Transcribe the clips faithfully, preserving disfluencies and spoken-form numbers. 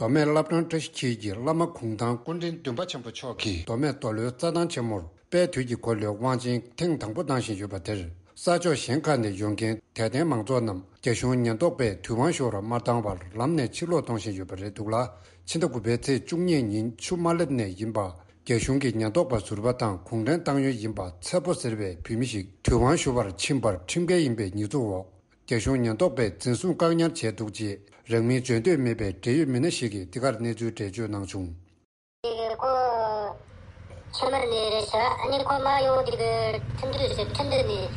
མདོ་སྨད་བླ་བྲང་བཀྲ་ཤིས་འཁྱིལ་གྱི་བླ་མ་གུང་ཐང་སྐུ་ཕྲེང་བདུན་པ་ཆེན་པོ་མཆོག་གིས་མདོ་སྨད་མདོ་ལྷོའི་རྩྭ་ཐང་ཆེན་མོར་དཔལ་དུས་ཀྱི་འཁོར་ལོའི་དབང་ཆེན་ཐེངས་དང་པོ་གནང་བཞིན་ཡོད་པ་དེར། ས་ཕྱོགས་གཞན་ཁག་ནས་ཡོང་མཁན་དད་ལྡན་མང་ཚོགས་རྣམས་རྒྱ་གཞུང་ཉེན་རྟོག་པས་དུས་དབང་ཞུ་བར་མ་བཏང་བར་ལམ་ནས་ཕྱིར་ལོག་གཏོང་བཞིན་ཡོད་པ་རེད་འདུག་ལ། ཕྱི་ཟླ་དགུ་པའི་ཚེས་བཅུ་གཉིས་ཉིན་ཆུ་དམར་ལེབ་ནས་ཡིན་པ། རྒྱ་གཞུང་གི་ཉེན་རྟོག་པ་ཟུར་པ་དང་གུང་ཁྲན་ཏང་ཡོན་ཡིན་པ་ཚེ་པོ་ཟེར་བའི་བུད་མེད་ཞིག་དུས་དབང་ཞུ་བར་ཕྱིན་པར་ཁྲིམས་འགལ་ཡིན་པའི་ཉེས་འཛུགས་འོག་རྒྱ་གཞུང་ཉེན་རྟོག་པས་འཛིན་བཟུང་བཀག་ཉར་བྱས་འདུག་ཅེས་རང་མིང་བརྗོད་འདོད་མེད་པའི་འབྲེལ་ཡོད་མི་སྣ་ཞིག་གིས་འདི་གར་གནས་ཚུལ་འགྲེལ་བརྗོད་གནང་བྱུང་། དེ་གི་ཁོ་ཕྱི་མར་ནས་རེད་ཤག་ཨ་ནི་ཁོ་མར་ཡོང་དེ་གི་ཁྲིན་ཏུའུ་ཟེར། ཁྲིན་ཏུའུ་ནས་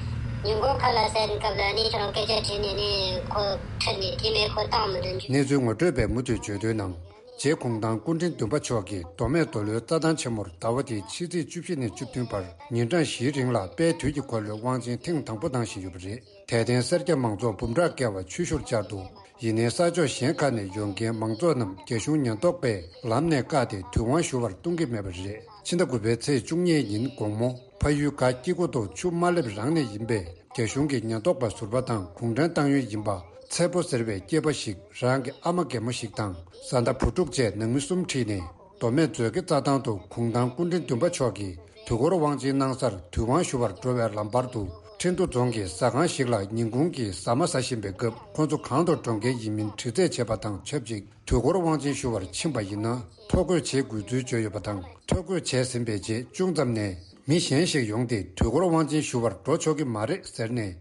ཉིན་གུང་ཁ་ལག་ཟ་ཡིན་སྐབས་ལ་ཨ་ནི་ཁྱོད་རང་སྐད་ཆ་དྲིས་ནས་ནི་ཁོ་ཁྲིད་ནས་དེ་མེད་ཁོ་བཏང་མི་འདུག་གནས་ཚུལ་ངོ་སྤྲོད་པས་མུ་མཐུད་བརྗོད་དོན་ནང་། རྗེ་གུང་ཐང་སྐུ་ཕྲེང་བདུན་པ་མཆོག་གིས་མདོ་སྨད་མདོ་ལྷོའི་རྩྭ་ཐང་ཆེན་མོར་ཟླ་བ་འདིའི་ཕྱི་ཚེས་བཅུ་བཞི་ནས་བཅུ་བདུན་བར་ཉིན་གྲངས་བཞིའི་རིང་ལ་དཔལ་དུས་ཀྱི་འཁོར་ལོའི་དབང་ཆེན་ཐེངས་དང་པོ་གནང་བཞིན་ཡོད་པ་རེད། དད་ལྡན་སེར་སྐྱ་མང་ཚོགས་འབུམ་ཕྲག་བརྒལ་བ་ཆོས་ཞུར་བཅར་འདུག་ཡིན་ནའི་ས་ཕྱོགས་གཞན་ཁག་ནས་ཡོང་མཁན་མང་ཚོགས་རྣམས་རྒྱ་གཞུང་ཉེན་རྟོག་པས་ལམ་ནས་བཀག་སྟེ་དུས་དབང་ཞུ་བར་གཏོང་གི་མེད་པ་རེད། ཕྱི་ཟླ་དགུ་པའི་ཚེས་བཅུ་གཉིས་ཉིན་དགོང་མོ་ཕ་ཡུལ་སྒ་སྐྱེ་རྒུ་མདོ་ཆུ་དམར་ལེབ་རང་ནས་ཡིན་པའི་རྒྱ་གཞུང་གི་ཉེན་རྟོག་པ་ཟུར་པ་དང་གུང་ཁྲན་ཏང་ཡོན་ཡིན་པ་ཚེ་པོ་ཟེར་བའི་སྐྱེས་པ་ཞིག་རང་གི་ཨ་མ་རྒན་མོ་ཞིག་དང་བཟའ་ཟླ་བུ་ཕྲུག་བཅས་ནང་མི་གསུམ་ཁྲིད་ནས་མདོ་སྨད་མཛོད་དགེ་རྩྭ་ཐང་དུ་གུང་ཐང་སྐུ་ཕྲེང་བདུན་པ་མཆོག་གིས་དུས་འཁོར་དབང་ཆེན་གནང་སར་དུས་དབང་ཞུ་བར་འགྲོ་བའི་ལམ་བར་དུ་ཁྲིན་ཏུ་རྫོང་གི་ཟ་ཁང་ཞིག་ལ་ཉིན་གུང་གི་ཟ་མ་ཟ་བཞིན་པའི་སྐབས་ཁོ་ཚོ་གང་དུ་འགྲོ་མཁན་ཡིན་མིན་དྲི་རྩད་བྱས་པ་དང་ཆབས་ཅིག་དུས་འཁོར་དབང་ཆེན་ཞུ་བར་ཕྱིན་པ་ཡིན་ན་ཐོ་འགོད་བྱེད་དགོས་ཚུལ་བརྗོད་ཡོད་པ་དང་། ཐོ་འགོད་བྱས་ཟིན་པའི་རྗེས་ཅུང་ཙམ་ནས་མི་གཞན་ཞིག་ཡོང་སྟེ་དུས་འཁོར་དབང་ཆེན་ཞུ་བར་འགྲོ་ཆོག་གི་མ་རེད་ཟེར་ནས།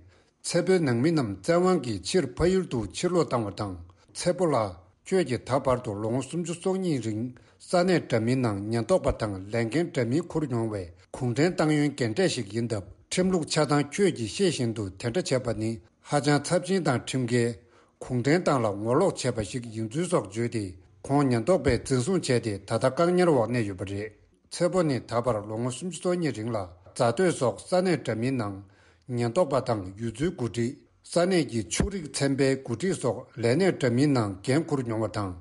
ཚེ་པོའི་ནང་མི་རྣམས་བཙན་དབང་གིས་ཕྱིར་ཕ་ཡུལ་དུ་ཕྱིར་ལོག་བཏང་བ་དང་། ཚེ་པོ་ལགས་ཁྱོད་ཀྱིས་ད་བར་དུ་ལོ་ངོ་སུམ་ཅུ་སོ་གཉིས་རིང་ས་གནས་འདྲ་མིན་ནང་ཉེན་རྟོག་པ་དང་ལས་འགན་འདྲ་མིན་འཁུར་མྱོང་བའི་གུང་ཁྲན་ཏང་ཡོན་རྒན་གྲས་ཤིག་ཡིན་སྟབས། ཁྲིམས་ལུགས་ཆ་ཚང་ཁྱོད་ཀྱིས་ཤེས་བཞིན་དུ་དེ་འདྲ་བྱས་པ་ནི་ཧ་ཅང་ཚབས་ཆེན་དང་ཁྲིམས་འགལ། གུང་ཁྲན་ཏང་ལ་ངོ་ལོག་བྱས་པ་ཞིག་ཡིན་ཚུལ་སོགས་བརྗོད་དེ། ཁོང་ཉེན་རྟོག་པས་འཛིན་བཟུང་བྱས་ཏེ་ད་ལྟ་བཀག་ཉར་འོག་གནས་ཡོད་པ་རེད། ཚེ་པོ་ནི་ད་བར་ལོ་ངོ་སུམ་ཅུ་སོ་གཉིས་རིང་ལ་རྫ་སྟོད་སོགས་ས་གནས་འདྲ་མིན་ནང་ཉེན་རྟོག་པ་དང་ཡུལ་ཚོའི་འགོ་ཁྲིད། ས་གནས་ཀྱི་ཕྱུགས་རིགས་ཚན་པའི་འགོ་ཁྲིད་སོགས་ལས་གནས་འདྲ་མིན་ནང་འགན་འཁུར་མྱོང་བ་དང་།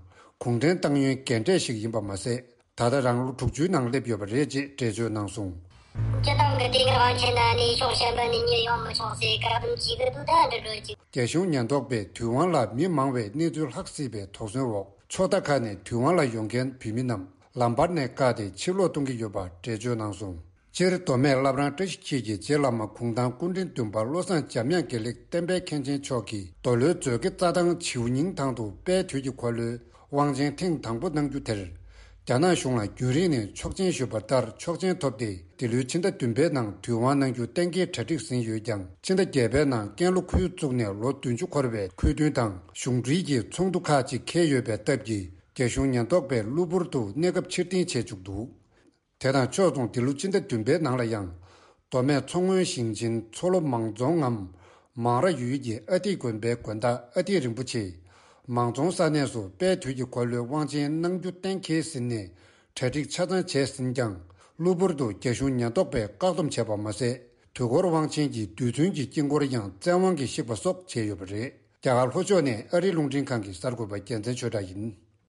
གུང་ཁྲན་ཏང་ཡོན་རྒན་གྲས་ཤིག་ཡིན་པ་མ་ཟད། ད་ལྟ་རང་ལོ་དྲུག་ཅུའི་ནང་སླེབས་ཡོད་པ་རེད་ཅེས་འགྲེལ་བརྗོད་གནང་སོང་། སྤྱི་བཏང་གི་དེ་གར་དབང་ཆེན་ན་ནི་ཕྱོགས་གཞན་པ་ནས་གཉེར་ཡོང་མི་ཆོག་ཟེར་བཀག་སྡོམ་བྱེད་ཀྱི་འདུག་ད་འདྲི་འགྲོ་ཅིག་རྒྱ་གཞུང་ཉེན་རྟོག་པས་དུས་དབང་ལ་མི་མང་བའི་གནས་ཚུལ་ལྷག་སྲིད་པའི་དོགས་ཟོན་འོག་ཕྱོགས་མཐའ་ཁག་ནས་དུས་དབང་ལ་ཡོང་མཁན་བོད་མི་རྣམས་ལམ་བར་ནས་བཀག་སྟེ་ཕྱིར་ལོག་གཏོང་གི་ཡོད་པ་འགྲེལ་བརྗོད་གནང་སོང་། སྤྱིར་མདོ་སྨད་བླ་བྲང་བཀྲ་ཤིས་འཁྱིལ་གྱི་རྗེ་བླ་མ་གུང་ཐང་སྐུ་ཕྲེང་བདུན་པ་བློ་བཟང་འཇམ་དབྱངས་དགེ་ལེགས་བསྟན་པའི་མཁན་ཆེན་མཆོག་གིས་མདོ་ལྷོའི་མཛོད་དགེ་རྩྭ་ཐང་བྱིའུ་སྙིང་ཐང་དུ་དཔལ་དུས་ཀྱི་འཁོར་ལོའི་དབང་ཆེན་ཐེངས་དང་པོ་གནང་རྒྱུ་དེར། རྒྱ་ནག་གཞུང་ལ་རྒྱུན་རིང་ནས་ཆོག་མཆན་ཞུས་པ་ལྟར་ཆོག་མཆན་ཐོབ་སྟེ། འདི་ལོའི་ཕྱི་ཟླ་བདུན་པའི་ནང་དུས་དབང་གནང་རྒྱུ་གཏན་འཁེལ་གྲ་སྒྲིག་ཟིན་ཡོད་ཀྱང་། ཕྱི་ཟླ་བརྒྱད་པའི་ནང་ཀན་ལྷོ་ཁུལ་བཙུགས་ནས་ལོ་བདུན་ཅུ་འཁོར་བའི་འཁོས་བསྟུན་དང་གཞུང་འབྲེལ་གྱི་ཚོགས་འདུ་ཁག་ཅིག་འཁེལ་ཡོད་པའི་སྟབས་ཀྱིས། རྒྱ་གཞུང་ཉེན་རྟོག་པས་གློ་བུར་དུ་གནས་སྐབས་ཕྱིར་འཐེན་བྱས་བཅུག་འདུག་དེ་དང་ཕྱོགས་མཚུངས་འདི་ལོ་ཕྱི་ཟླ་བདུན་པའི་ནང་ལ་ཡང་། མདོ་སྨད་མཚོ་སྔོན་ཞིང་ཆེན་མཚོ་ལྷོ་མང་རྫོང་ངམ། མང་ར་ཡུལ་གྱི་ཨ་ཏི་དགོན་པའི་དགོན་བདག་ཨ་ཏི་རིན་པོ་ཆེས། མང་རྫོང་ས་གནས་སུ་དཔལ་དུས་ཀྱི་འཁོར་ལོའི་དབང་ཆེན་གནང་རྒྱུ་གཏན་འཁེལ་ཟིན་ནས་གྲ་སྒྲིག་ཆ་ཚང་བྱས་ཟིན་ཀྱང་། གློ་བུར་དུ་རྒྱ་གཞུང་ཉེན་རྟོག་པས་བཀག་སྡོམ་བྱས་པ་མ་ཟད། དུས་འཁོར་དབང་ཆེན་གྱི་རྡུལ་ཚོན་གྱི་དཀྱིལ་འཁོར་ཡང་བཙན་དབང་གིས་བཤིག་པ་སོགས་བྱས་ཡོད་པ་རེད། རྒྱ་གར་ལྷོ་ཕྱོགས་ནས་ཨ་རིའི་རླུང་འཕྲིན་ཁང་གི་གསར་འགོད་པ་རྒྱལ་མཚན་ཆོས་གྲགས་ཡིན།